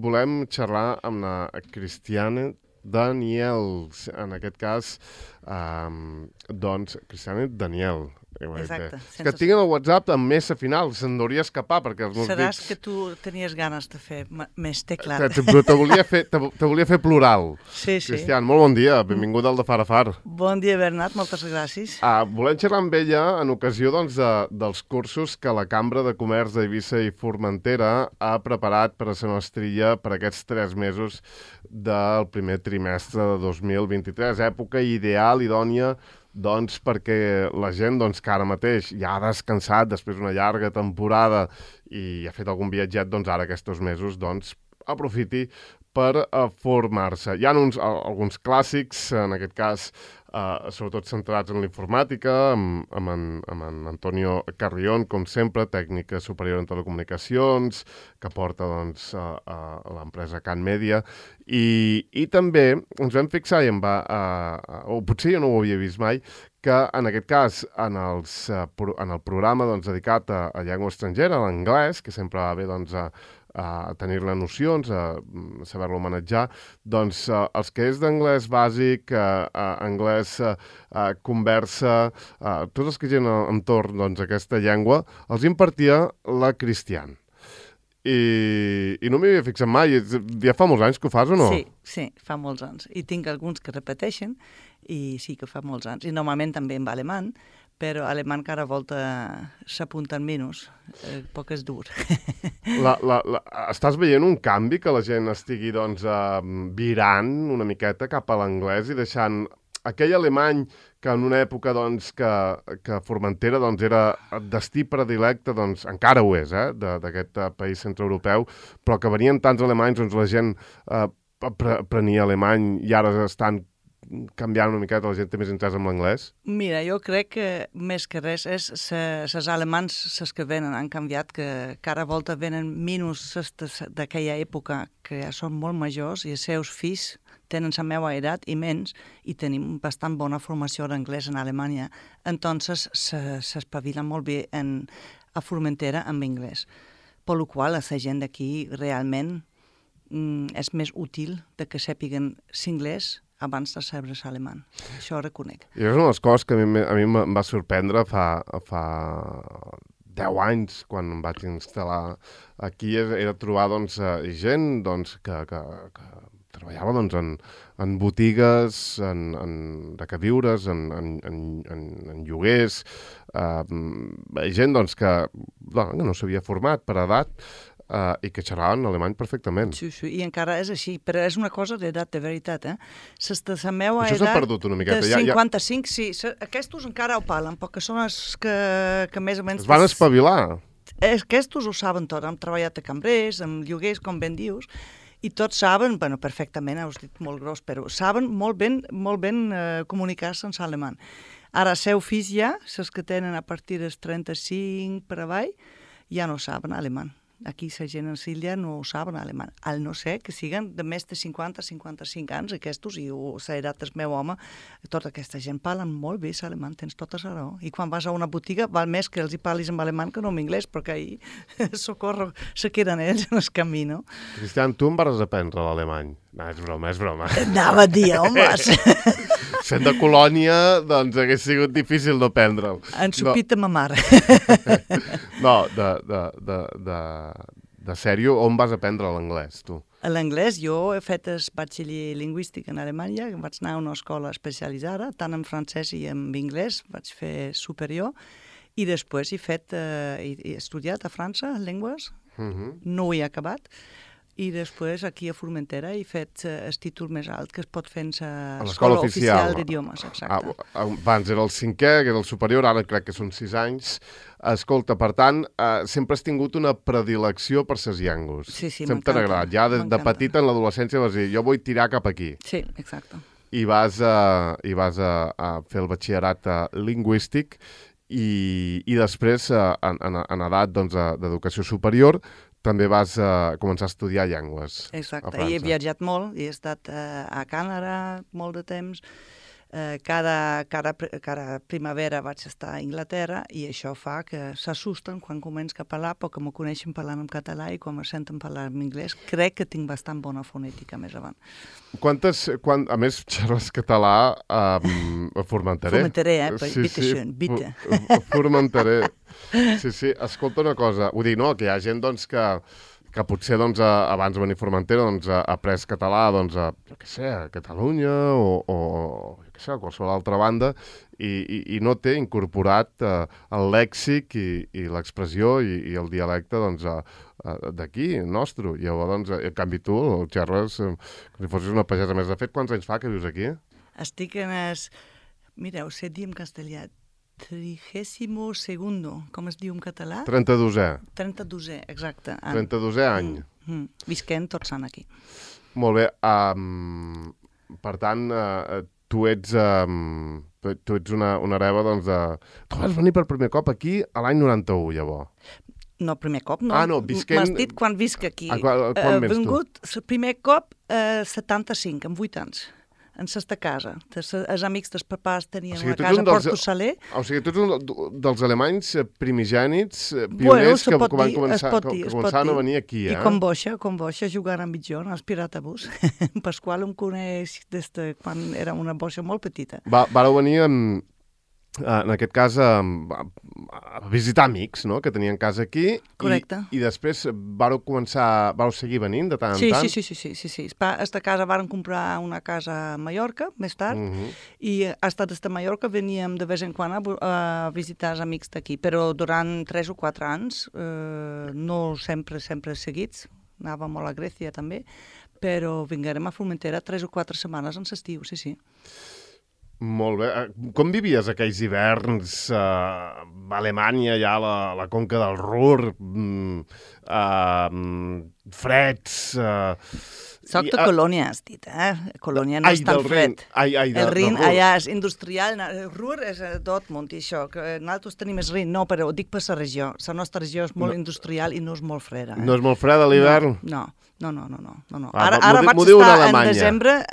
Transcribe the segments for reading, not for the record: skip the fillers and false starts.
volem xerrar amb la Cristiane Daniel, en aquest cas, doncs, Cristiane Daniel. Exacte. És que tinc el WhatsApp amb més a final, se'n hauria escapar, perquè els meus Seràs dits... que tu tenies ganes de fer més teclat. Però te volia fer plural. Sí. Cristian, molt bon dia, benvingut al de Far a Far. Bon dia, Bernat, moltes gràcies. Volem xerrar amb ella en ocasió doncs, dels cursos que la Cambra de Comerç d'Eivissa i Formentera ha preparat per a la Nostrilla per aquests 3 mesos del primer trimestre de 2023, època ideal, idònia, doncs perquè la gent doncs, que ara mateix ja ha descansat després d'una llarga temporada i ha fet algun viatget, doncs ara aquests mesos doncs, aprofiti per formar-se. Hi ha alguns clàssics, en aquest cas, sobretot centrats en l'informàtica, amb en Antonio Carrión, com sempre, tècnica superior en telecomunicacions, que porta doncs, a l'empresa Can Media, i també ens vam fixar, o potser jo no ho havia vist mai, que en aquest cas, en el programa doncs, dedicat a llengua estrangera, a l'anglès, que sempre va bé doncs, a tenir-ne nocions, a saber-lo manejar, doncs els que és d'anglès bàsic, anglès conversa, tots els que gent entorn doncs, aquesta llengua, els impartia la Cristian. I no m'hi havia fixat mai. Ja fa molts anys que ho fas o no? Sí, fa molts anys. I tinc alguns que repeteixen, i sí que fa molts anys. I normalment també en alemany, però alemany cada volta s'apunten menys, poc és dur. Estàs veient un canvi que la gent estigui doncs, virant una miqueta cap a l'anglès i deixant aquell alemany que en una època doncs, que Formentera doncs, era destí predilecte, doncs, encara ho és, d'aquest país centreeuropeu, però que venien tants alemanys, doncs la gent prenia alemany i ara estan canviant una miqueta, la gent té més interès en l'anglès? Mira, jo crec que més que res és les alemans, les que venen, han canviat, que cada volta venen menys d'aquella època, que ja són molt majors i els seus fills tenen la meva edat i menys, i tenim bastant bona formació d'anglès en Alemanya, entonces s'espavilen molt bé a Formentera amb anglès. Per la qual la gent d'aquí realment és més útil de que sàpiguen l'anglès abans de saber l'alemany. Això ho reconec. I és una de les coses que a mi em va sorprendre fa 10 anys, quan em vaig instal·lar aquí, era trobar doncs, gent doncs, que treballava doncs, en botigues, de queviures, en lloguers, gent doncs, que no s'havia format per edat, i que xerraven alemany perfectament. Sí, i encara és així, però és una cosa d'edat de veritat, la meva edat... Això s'ha perdut una miqueta. De 55, sí, aquests encara ho parlen, perquè són els que més o menys... Es van espavilar. Aquests ho saben tot, han treballat a cambrers, amb lloguers, com ben dius, i tots saben, bueno, perfectament, ho has dit molt gros, però saben molt ben comunicar-se en alemany. Ara, els seus fills ja, els que tenen a partir dels 35 per avall, ja no saben alemany. Aquí la gent en l'illa no ho saben alemany, al no ser que siguen de més de 50-55 anys, aquests, i l'edat del meu home, tota aquesta gent parlen molt bé l'alemany, tens tota la raó. I quan vas a una botiga val més que els hi parlis en alemany que no en anglès, perquè ahir socorro, se queden ells en el camí, no? Cristian, tu em vas aprendre l'alemany. No, és broma. Anava a dir, home! Sent de Colònia, doncs hagués sigut difícil d'aprendre'l. Ensupit ma mare. No, de sèrio, on vas aprendre l'anglès, tu? A l'anglès jo he fet el batxiller lingüístic en Alemanya, vaig anar a una escola especialitzada, tant en francès i en anglès, vaig fer superior, i després he estudiat a França, llengües, no ho he acabat, i després aquí a Formentera he fet el títol més alt que es pot fer a l'Escola Oficial d'Idiomes, exacte. Abans era el 5è, que era el superior, ara crec que són 6 anys. Escolta, per tant, sempre has tingut una predilecció per ses llengües. Sí, sempre t'ha agradat. Ja de petita, en l'adolescència, vas dir, jo vull tirar cap aquí. Sí, exacte. I vas a fer el batxillerat lingüístic i després, en edat d'educació superior, també vas començar a estudiar llengües. Exacte, i he viatjat molt, he estat a Canadà molt de temps, Cada primavera vaig estar a Anglaterra i això fa que s'assusten quan començo a parlar perquè m'ho coneixen parlant en català i quan me senten parlar en anglès crec que tinc bastant bona fonètica més avant. A més, xerres català a Formenteré. Formenteré, bitte schön, bitte. Formenteré. Sí, escolta una cosa, vull dir, no, que hi ha gent, doncs, que potser, doncs, abans de venir a Formentera, doncs, ha après català, doncs, jo què sé, a Catalunya o jo què sé, a qualsevol altra banda, i no té incorporat el lèxic i l'expressió i el dialecte, doncs, d'aquí, nostre. I llavors, doncs, en canvi tu, el xerres com si fossis una pagesa més. De fet, quants anys fa que vius aquí? Estic en mira, ho sé dir en castellà, 32è, com es diu en català? 32è. 32è, exacte. 32è any. Visquem tots anys aquí. Molt bé. Per tant, tu ets una hereva, doncs, de... Tu vas venir per primer cop aquí a l'any 91, llavors. No, primer cop, no. No, visquent... M'has dit quan visc aquí. Quan vens tu? Vingut, primer cop, 75, amb 8 anys. En sesta casa. Els amics dels papàs tenien una casa a Porto Saler. O sigui, tu ets un dels alemanys primigènits, pioners, que van començaven a venir aquí, I com boixa, jugant amb mitjón, als Piratibus. Pasqual em coneix des de quan era una boixa molt petita. Vareu venir en aquest cas a visitar amics, no?, que tenien casa aquí. Correcte. I després vareu seguir venint de tant en tant? Sí. Esta casa varen comprar una casa a Mallorca, més tard, i hasta des de Mallorca veníem de vez en quan a visitar els amics d'aquí, però durant 3 o 4 anys, no sempre seguits, anàvem molt a Grècia també, però vinguérem a Formentera 3 o 4 setmanes en l'estiu, sí. Molt bé. Com vivies aquells hiverns a Alemanya, ja a la conca del Ruhr, freds... Soc de Colònia, has dit, Colònia no és tan fred. El Rin allà és industrial, el Ruhr és Dortmund i això, que nosaltres tenim el Rin, no, però ho dic per la regió. La nostra regió és molt industrial i no és molt freda. No és molt freda a l'hivern? No. Ara vaig estar en desembre,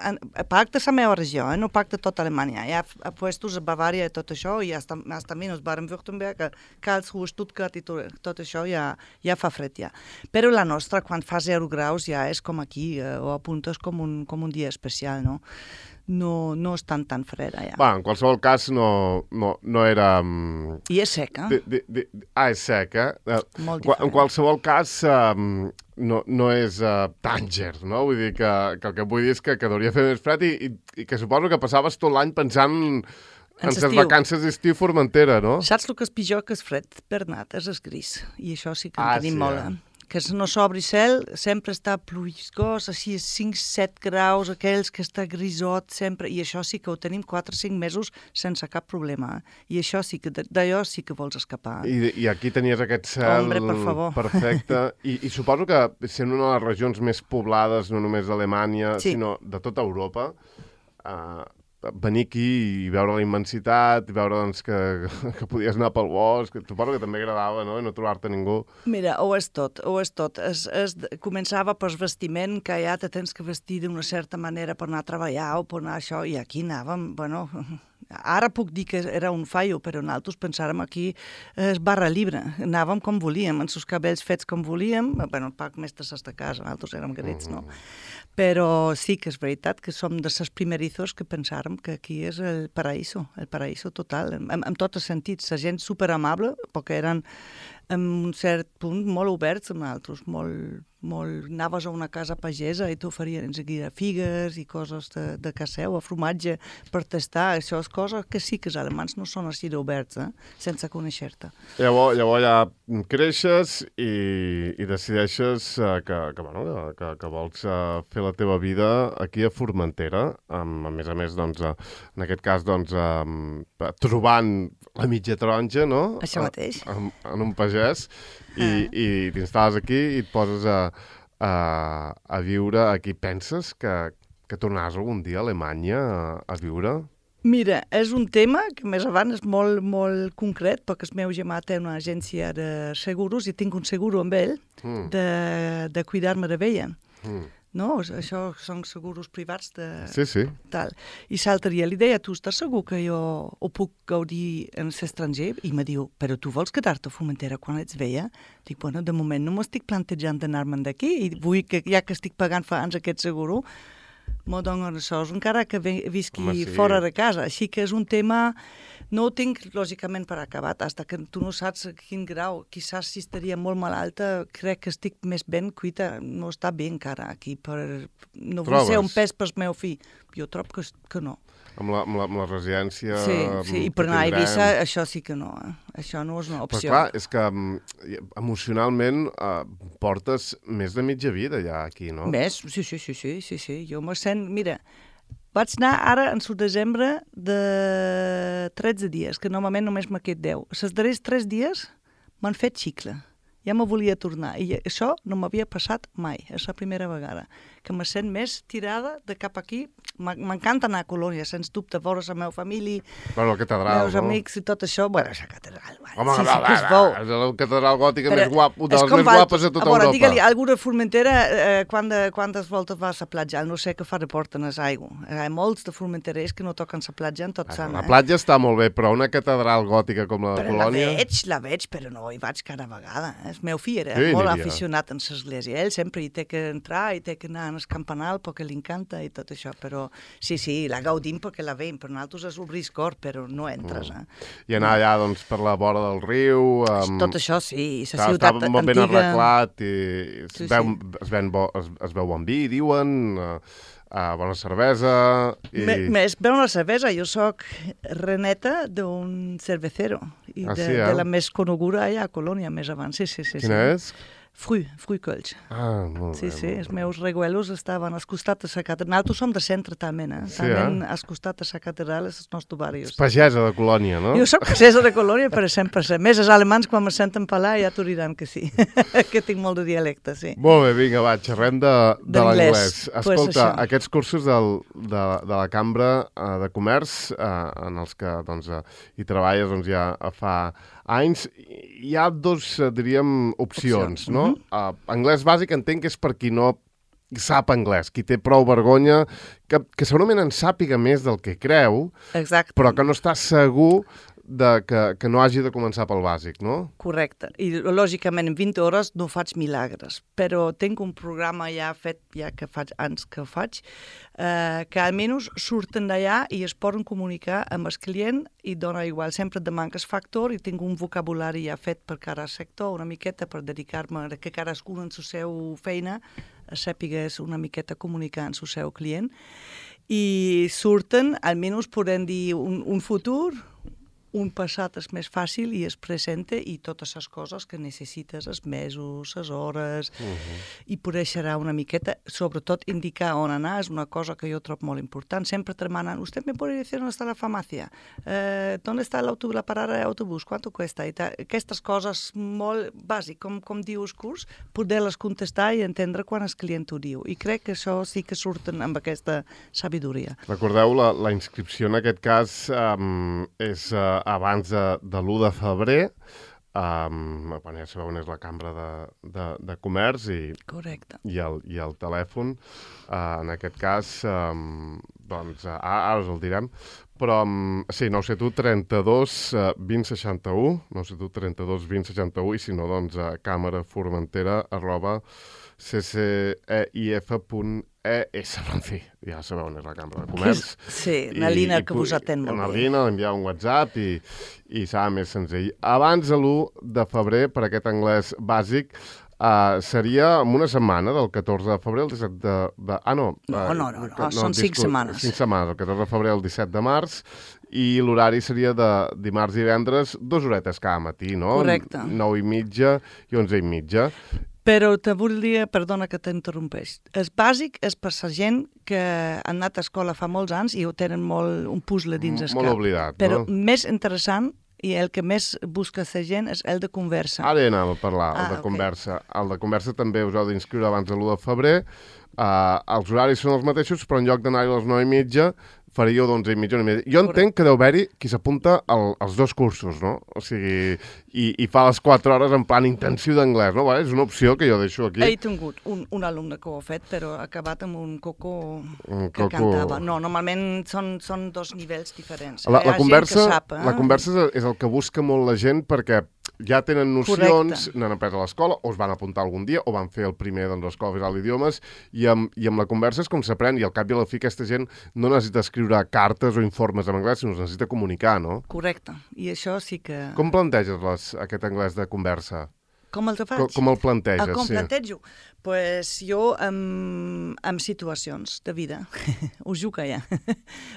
pacte la meva regió, no pacte tota Alemanya. Hi ha puestos a Bavària i tot això, i hasta menys Baden-Württemberg, Karlsruhe, Stuttgart i tot això ja fa fred ja. Però la nostra, quan fa 0 graus, ja és com aquí, o apuntes com un dia especial, no? No és tan freda, ja. En qualsevol cas, no era... I és seca. És seca. Molt diferent. En qualsevol cas, no és Tànger, no? Vull dir que el que vull dir és que hauria fer més fred i que suposo que passaves tot l'any pensant en les vacances d'estiu a Formentera, no? Saps el que és pitjor que és fred, Bernat? És el gris. I això sí que en tenim molt, que no s'obri cel, sempre està pluisgós, així 5-7 graus, aquells que està grisot sempre, i això sí que ho tenim 4 o 5 mesos sense cap problema. I això sí que, d'allò sí que vols escapar. I aquí tenies aquest cel perfecte. I suposo que sent una de les regions més poblades, no només d'Alemanya, sinó de tota Europa, venir aquí i veure la immensitat, i veure doncs, que podies anar pel bosc, suposo que també agradava, no?, i no trobar-te ningú. Mira, ho és tot. Començava pel vestiment, que ja te tens que vestir d'una certa manera per anar a treballar o per anar a això, i aquí anàvem, ara puc dir que era un fallo, però nosaltres pensàrem aquí barra llibre. Anàvem com volíem, amb els cabells fets com volíem, el poc més de de casa, nosaltres érem grets, no? Però sí que és veritat que som de les primerizos que pensàrem que aquí és el paraíso total, en tots els sentits. La gent superamable, perquè eren en un cert punt molt oberts amb nosaltres, anaves a una casa pagesa i t'oferien enseguida figues i coses de caseu, o formatge per tastar. Això és cosa que sí que els alemans no són així d'oberts, sense conèixer-te. Llavors ja creixes i decideixes que vols fer la teva vida aquí a Formentera, a més, doncs, en aquest cas, doncs, trobant la mitja taronja, no? Això mateix. En un pagès, i t'instal·les aquí i et poses a viure aquí. Penses que tornaràs algun dia a Alemanya a viure? Mira, és un tema que més avant és molt, molt concret, perquè el meu germà té una agència de seguros i tinc un seguro amb ell de cuidar-me de vella. no? Això són seguros privats de... Sí. Tal. I l'altre dia li deia, tu estàs segur que jo ho puc gaudir en l'estranger? I me diu, però tu vols quedar-te a Formentera quan ets vella? Dic, bueno, de moment no m'estic plantejant d'anar-me'n d'aquí i vull que, ja que estic pagant fa anys aquest seguro, m'ho donen això, encara que visqui fora de casa. Així que és un tema... No ho tinc, lògicament, per acabat, fins que tu no saps a quin grau. Quizás si estaria molt malalta, crec que estic més ben cuita. No està bé encara aquí. No vull ser un pes pel meu fill. Jo trobo que no. Amb la residència... Sí, i per anar a Eivissa, això sí que no. Això no és una opció. Però clar, és que emocionalment portes més de mitja vida ja aquí, no? Més? Sí. Jo me sent... Mira, vaig anar ara en el desembre de 13 dies, que normalment només m'ha quedat 10. Els darrers 3 dies m'han fet xicle. Ja me volia tornar. I això no m'havia passat mai. És la primera vegada que me sent més tirada de cap aquí. M'encanta anar a Colònia, sens dubte, veure la meva família, la catedral, meus amics i tot això. Bueno, és la catedral. Home, és la catedral gòtica més guapa, de les més guapes de tota Europa. Digue-li, algú de Formentera, quantes voltes va a la platja? No sé què fa de porten a l'aigua. Hi ha molts de formenterers que no toquen la platja en tot sant. La platja està molt bé, però una catedral gòtica com la de Colònia... La veig, però no hi vaig cada vegada. El meu fill era molt aficionat en l'església. Ell sempre hi té que entrar, hi té que anar en el campanal perquè li encanta i tot això, però sí, la gaudim perquè la veiem, per nosaltres és obrir el cor, però no entres. I anar allà, doncs, per la vora del riu... Tot això, sí, la ciutat antiga... Està molt ben arreglat i es veu bon vi, diuen... bona cervesa... Més bona cervesa. Jo soc reneta d'un cervecero i de la més coneguda allà a Colònia, més abans. Sí. Quina és? Fruicolls. Molt bé. Sí, els meus reguelos estaven al costat de la catedral. Nosaltres som de centre, també, també al costat de la catedral és el nostre barri. És pagesa de Colònia, no? Jo soc pagesa de Colònia, per 100%. Més els alemans, quan me senten parlar, ja t'ho diran que sí, que tinc molt de dialecte, sí. Molt bé, vinga, va, xerrem de l'anglès. Escolta, aquests cursos de la Cambra de Comerç, en els que hi treballes ja fa anys, hi ha dos, diríem, opcions, no? Anglès bàsic entenc que és per qui no sap anglès, qui té prou vergonya, que segurament en sàpiga més del que creu, però que no està segur que no hagi de començar pel bàsic, no? Correcte. I, lògicament, en 20 hores no faig milagres, però tinc un programa ja fet, ja que faig anys que faig, que almenys surten d'allà i es poden comunicar amb el client i dona igual. Sempre de manques factor i tinc un vocabulari ja fet per cada sector, una miqueta per dedicar-me a que cadascú en la seva feina sàpigues una miqueta comunicar amb el seu client. I surten, almenys podem dir, un futur, un passat és més fàcil i es presenta i totes les coses que necessites, els mesos, les hores, i poder xerrar una miqueta, sobretot indicar on anar, és una cosa que jo trobo molt important. Sempre te demanen, ¿usted me puede decir dónde está la farmacia? ¿Dónde está la parada d'autobús? ¿Cuánto cuesta? Aquestes coses molt bàsiques, com diu el curs, poder-les contestar i entendre quan el client ho diu. I crec que això sí que surten amb aquesta sabidoria. Recordeu, la inscripció en aquest cas és abans de l'1 de febrer, ja sabeu on és la Cambra de Comerç i el telèfon, en aquest cas, ara us el direm, però sí, 971 32 20 61, 971 32 20 61, i si no, doncs, cceif.es, en fi, ja sabeu on és la Cambra de Comerç. Sí, una línia que vos atén molt bé. Una línia, enviar un WhatsApp i serà més senzill. Abans de l'1 de febrer, per aquest anglès bàsic, seria en una setmana, del 14 de febrer al 17 de... No, són 5 setmanes. 5 setmanes, del 14 de febrer al 17 de març, i l'horari seria de dimarts i divendres, 2 horetes cada matí, no? Correcte. 9:30 i 11:30. Però te volia, perdona que t'interrompeix, el bàsic és per la gent que han anat a escola fa molts anys i ho tenen un puzzle dins el cap. Molt oblidat, però no? Més interessant i el que més busca la gent és el de conversa. Ara anàvem a parlar, el de conversa. El de conversa també us heu d'inscriure abans de l'1 de febrer. Els horaris són els mateixos, però en lloc d'anar-hi a les 9:30, faríeu d'11 i mitja. Jo entenc que deu haver-hi qui s'apunta als 2 cursos, no? O sigui, i fa les 4 hores en plan intensiu d'anglès, no? És una opció que jo deixo aquí. He tingut un alumne que ho ha fet, però ha acabat amb un coco que cantava. No, normalment són 2 nivells diferents. La conversa és el que busca molt la gent perquè ja tenen nocions, n'han après a l'escola, o es van apuntar algun dia, o van fer el primer de l'Escola Oficial d'Idiomes, i amb la conversa és com s'aprèn, i al cap i a la fi aquesta gent no necessita escriure cartes o informes en anglès, sinó necessita comunicar, no? Correcte, i això sí que... Com planteges aquest anglès de conversa? Com el faig? Com el planteges, com plantejo? Pues jo amb situacions de vida, us jugo ja.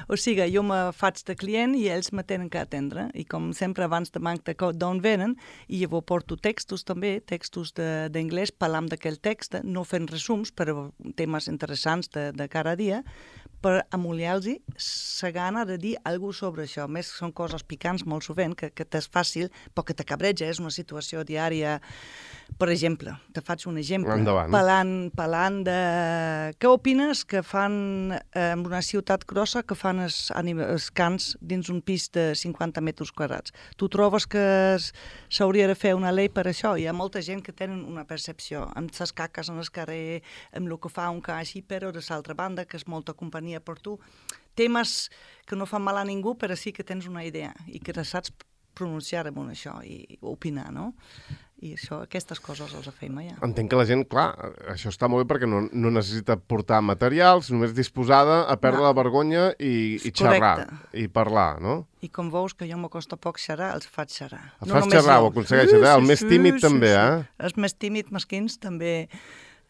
O sigui, jo me faig de client i ells me tenen que atendre. I com sempre abans de manc d'on venen, i llavors porto textos també, textos d'anglès, parlant d'aquell text, no fent resums, però temes interessants de cada dia, per amollar-los la gana de dir alguna cosa sobre això. A més, són coses picants molt sovint, que t'és fàcil, però que te cabreja, és una situació diària. Per exemple, te faig un exemple. Endavant. Parlant de... Què opines que fan en una ciutat grossa que fan els cants dins un pis de 50 metres quadrats? Tu trobes que s'hauria de fer una llei per això? Hi ha molta gent que tenen una percepció amb les caques en el carrer, amb el que fa un ca així, però de l'altra banda, que és molta companyia per tu. Temes que no fan mal a ningú, però sí que tens una idea i que saps pronunciar amb això i opinar, no? I això, aquestes coses els fem ja. Entenc que la gent, clar, això està molt bé perquè no necessita portar materials, només disposada a perdre la vergonya i xerrar, i parlar, no? I com veus que jo m'acosta poc xerrar, els faig xerrar. Els fas xerrar, ho aconsegueixes, el més tímid també, eh? Els més tímids, mesquins, també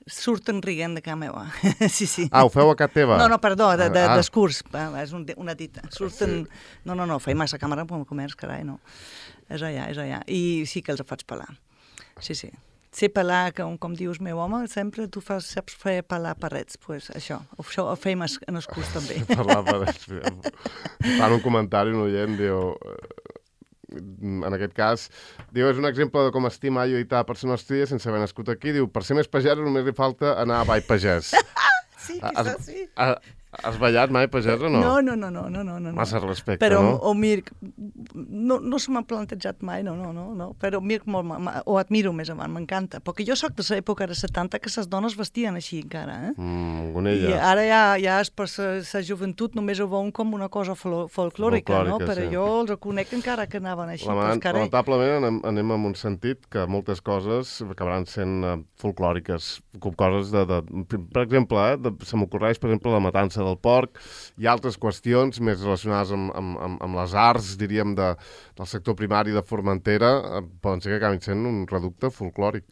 surten rient de casa meva. Sí. Ah, ho feu a casa teva? No, perdó, d'escurs, és una dita. Surten... No, feim a la càmera com a comerç, carai, no. És allà. I sí que els faig parlar. Sí. Sé parlar, com dius, meu home, sempre tu saps fer parlar parets. Pues això ho feim en els curs també. Parlar parets. Fan un comentari, un oient, diu... En aquest cas, diu, és un exemple de com estima jo i ta persona estria sense haver nascut aquí. Diu, per ser més pagès només li falta anar a Ball Pagès. Sí, quizás sí. Has ballat mai pagès o no? No. Massa respecte, però, no? Però, Mirc, no se m'ha plantejat mai, no. Però Mirc ho admiro més avant, m'encanta. Perquè jo soc de l'època de 70 que les dones vestien així encara, eh? Gonella. I ara ja és per la joventut només ho veuen com una cosa folclòrica, no? Però jo els reconec encara que anaven així pels carrers. Lamentablement anem en un sentit que moltes coses acabaran sent folclòriques, coses per exemple, se m'ocorreix, per exemple, la matança del porc i altres qüestions més relacionades amb les arts, diríem, del sector primari de Formentera, poden ser que acabin sent un reducte folclòric.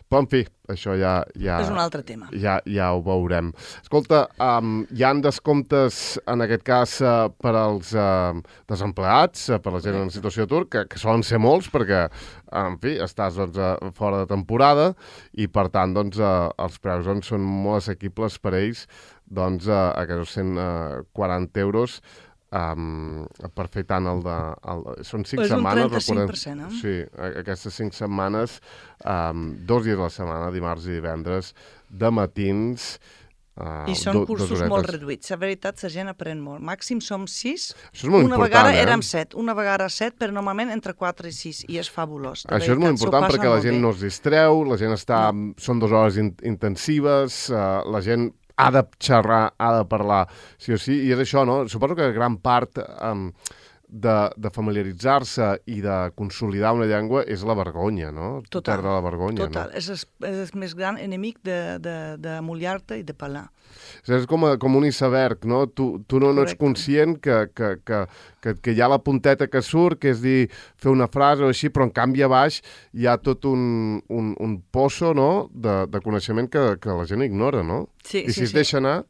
Però, en fi, això ja és un altre tema. Ja ho veurem. Escolta, hi ha descomptes, en aquest cas, per als desempleats, per la gent en situació d'atur, que solen ser molts, perquè, en fi, estàs fora de temporada i, per tant, els preus són molt assequibles per ells, aquests 140 euros per fer tant són 5 setmanes. És un 35%, eh? Sí, aquestes 5 setmanes, 2 dies a la setmana, dimarts i divendres, de matins. I són cursos molt reduïts. La veritat, la gent aprèn molt. Màxim som 6. Això és molt important, vegada érem 7. Una vegada 7, però normalment entre 4 i 6. I és fabulós. Això és molt important perquè la gent no es distreu, la gent són 2 hores intensives, la gent ha de xerrar, ha de parlar, sí o sí, i és això, no? Suposo que gran part de familiaritzar-se i de consolidar una llengua és la vergonya, no? Total. Perdre la vergonya, total. No? És el més gran enemic d'amollar-te i de parlar. És com un iceberg, no? Tu no ets conscient que hi ha la punteta que surt, que és dir, fer una frase o així, però en canvi a baix hi ha tot un poço, no?, de coneixement que la gent ignora, no? Sí, I si es deixa anar...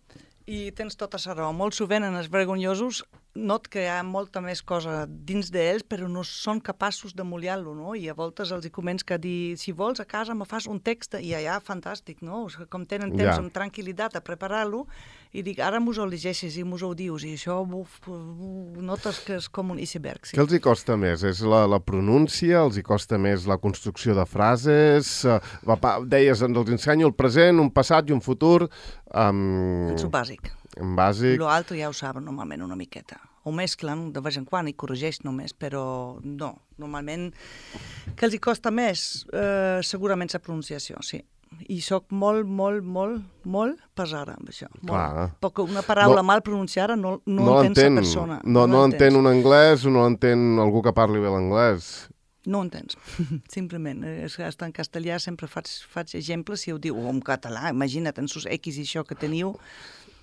I tens tota la raó. Molt sovint en els vergonyosos not que hi ha molta més cosa dins d'ells, però no són capaços de mullar-lo, no? I a voltes els coments que dir, si vols a casa me fas un text, i allà fantàstic, no? Com tenen temps amb tranquil·litat a preparar-lo, I dic, ara mos ho llegeixes i mos ho dius, i això notes que és com un iceberg. Sí. Què els hi costa més? És la pronúncia? Els hi costa més la construcció de frases? Deies, els ensenyo el present, un passat i un futur. És el bàsic. En bàsic. Lo altre ja ho saben normalment una miqueta. Ho mesclen de vegades en quan i corregeix només, però no. Normalment, que els hi costa més? Segurament la pronunciació, sí. I soc molt pesada amb això. Perquè una paraula mal pronunciada no entén la persona. No entén un anglès o no entén algú que parli bé l'anglès. No entens, simplement. Hasta en castellà sempre faig exemples, si ho diu, o en català, imagina't, en sus X i això que teniu.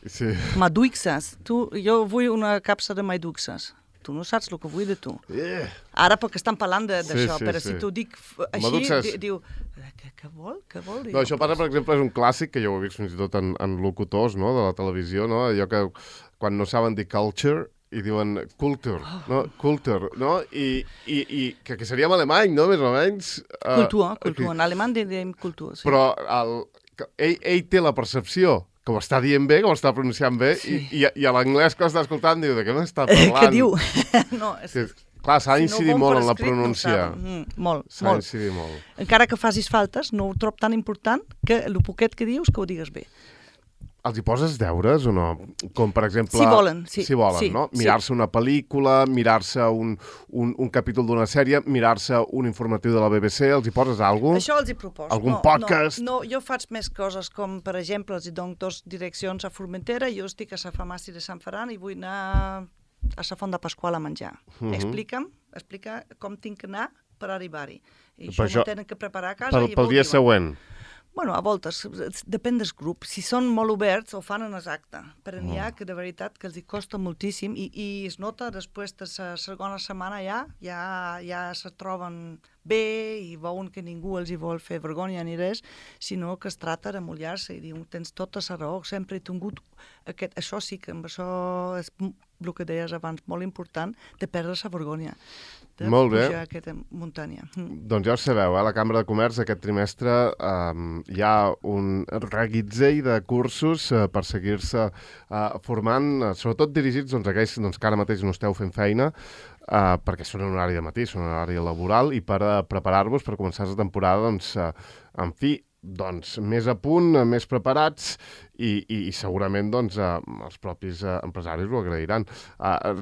Sí. Maduixes. Jo vull una capsa de maduixes. Tu no saps el que vull de tu. Yeah. Ara perquè estan parlant d'això, però si t'ho dic així, diu, què vol? No, això, per exemple, és un clàssic que jo ho he vist fins i tot en locutors, no?, de la televisió, no?, allò que quan no saben dir culture i diuen culture, no? Culture, no? I que seria en alemany, no?, més o menys. Cultura. En alemany diem cultura, sí. Però ell té la percepció que ho està dient bé, que ho està pronunciant bé, sí. i a l'anglès que ho està escoltant diu, de què m'està parlant? Què diu? No, clar, s'ha d'incidir molt en la pronúncia. Molt. S'ha d'incidir molt. Encara que facis faltes, no ho trob tan important que el poquet que dius que ho digues bé. Els hi poses deures o no? Com, per exemple... Si volen, sí. Si volen, sí, no? Mirar-se una pel·lícula, mirar-se un capítol d'una sèrie, mirar-se un informatiu de la BBC, els hi poses alguna cosa? Això els hi proposo. Algun podcast? No, jo faig més coses, com, per exemple, els hi dono 2 direccions a Formentera, jo estic a la farmàcia de Sant Ferran i vull anar a la Font de Pasqual a menjar. Explica com tinc que anar per arribar-hi. I això m'ho tenen que preparar a casa. Pel dia següent? Bueno, a voltes, depèn del grup. Si són molt oberts, ho fan en exacte. Però n'hi ha que de veritat que els hi costa moltíssim i es nota després de la segona setmana ja se troben bé i veuen que ningú els hi vol fer vergonya ni res, sinó que es tracta de mullar-se i dir, tens tota la raó, sempre he tingut això sí que amb això és el que deies abans, molt important, de perdre la vergonya, de pujar aquesta muntanya. Doncs ja ho sabeu, a la Cambra de Comerç aquest trimestre hi ha un reguitzell de cursos per seguir-se formant, sobretot dirigits a aquells que ara mateix no esteu fent feina, perquè són en horari de matí, són en horari laboral, i per preparar-vos per començar la temporada, en fi, més a punt, més preparats i segurament els propis empresaris ho agrairan.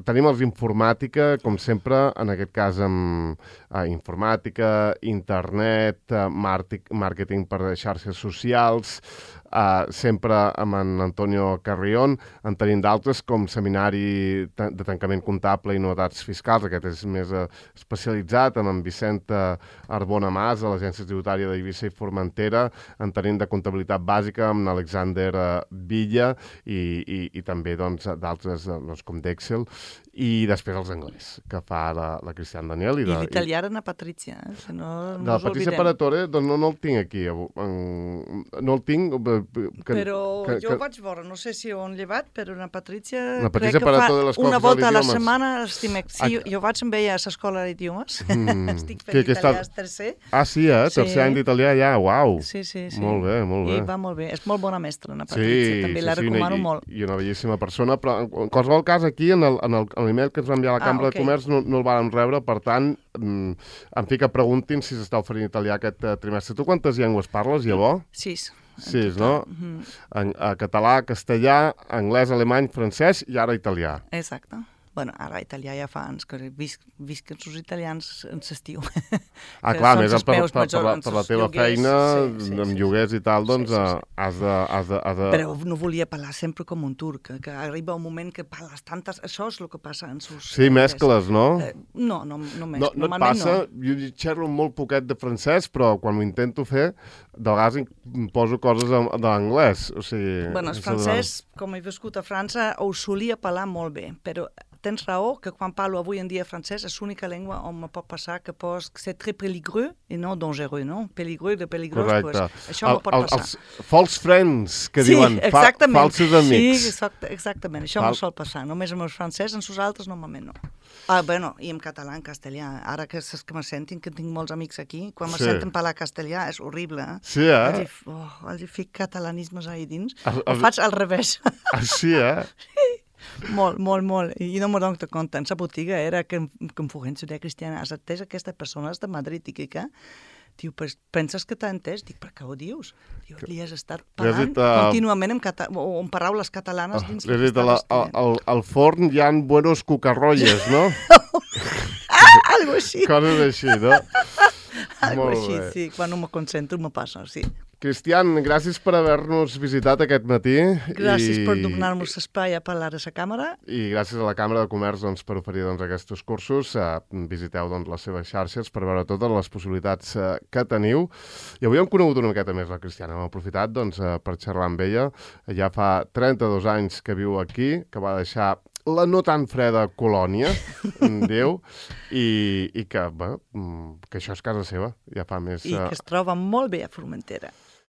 Tenim els informàtica, com sempre, en aquest cas amb informàtica, internet, màrqueting per xarxes socials, sempre amb en Antonio Carrión. En tenim d'altres com Seminari de Tancament Comptable i Novetats Fiscals, aquest és més especialitzat, amb en Vicent Arbona Mas, de l'Agència Tributària d'Eivissa i Formentera. En tenim de Comptabilitat Bàsica amb Alexander Villa i també d'altres com d'Excel, i després els anglès, que fa la Cristian Daniel. I l'italià era Patrizia, si no ens oblidem. La Patrizia Paratore, doncs no el tinc aquí. No el tinc. Però jo ho vaig veure, no sé si ho han llevat, però la Patrizia crec que fa una volta a la setmana. Sí, jo vaig amb ella a l'escola d'idiomes. Estic fent italià tercer. Sí, tercer any d'italià ja, uau. Sí. Molt bé. I va molt bé. És molt bona mestra, la Patrizia, també la recomano molt. I una bellíssima persona, però en qualsevol cas aquí, en l'email que ens va enviar a la Cambra de Comerç no el van rebre, per tant, en fi que preguntin si s'està oferint italià aquest trimestre. Tu quantes llengües parles, llavors? 6. 6, no? Català, castellà, anglès, alemany, francès i ara italià. Exacte. Bueno, ara italià ja fa anys que visc els italians en l'estiu. Clar, més per la teva feina, amb lloguers i tal, doncs has de... Però no volia parlar sempre com un turc, que arriba un moment que parles tantes... Això és el que passa en sus... Sí, mescles, no? No mescles. No et passa? Jo xerro molt poquet de francès, però quan ho intento fer, de vegades em poso coses de l'anglès. Bueno, el francès, com he viscut a França, ho solia parlar molt bé, però tens raó que quan parlo avui en dia francès és l'única llengua on me pot passar que c'est très peligreux i no dangereux, no? Peligreux de peligrós, correcte. Pues, això me pot passar. Els false friends, que diuen, falsos amics. Sí, exactament, això me sol passar. Només amb els francesos, amb els altres normalment no. Bueno, i en català, en castellà. Ara que saps que me sentin, que tinc molts amics aquí, quan me senten parlar castellà és horrible. Sí, Els hi fic catalanismes ahí dins. Ho faig al revés. Sí, Molt, molt, molt. I no m'ho dono compte. En la botiga era que em fugen ciutat cristiana. Has atès aquesta persona de Madrid i què? Diu, penses que t'ha entès? Dic, per què ho dius? Diu, li has estat parlant contínuament en paraules catalanes dins li has dit, al forn hi ha buenos cucarrolles, no? Algo així. Coses així, no? Algo així, sí. Quan no me concentro me passa, sí. Cristian, gràcies per haver-nos visitat aquest matí. Gràcies per donar-nos espai a parlar a la càmera. I gràcies a la Càmera de Comerç per oferir aquests cursos. Visiteu les seves xarxes per veure totes les possibilitats que teniu. I avui hem conegut una miqueta més la Cristiana. Hem aprofitat per xerrar amb ella. Ja fa 32 anys que viu aquí, que va deixar la no tan freda colònia, Déu, i que això és casa seva. Ja fa més... I que es troba molt bé a Formentera.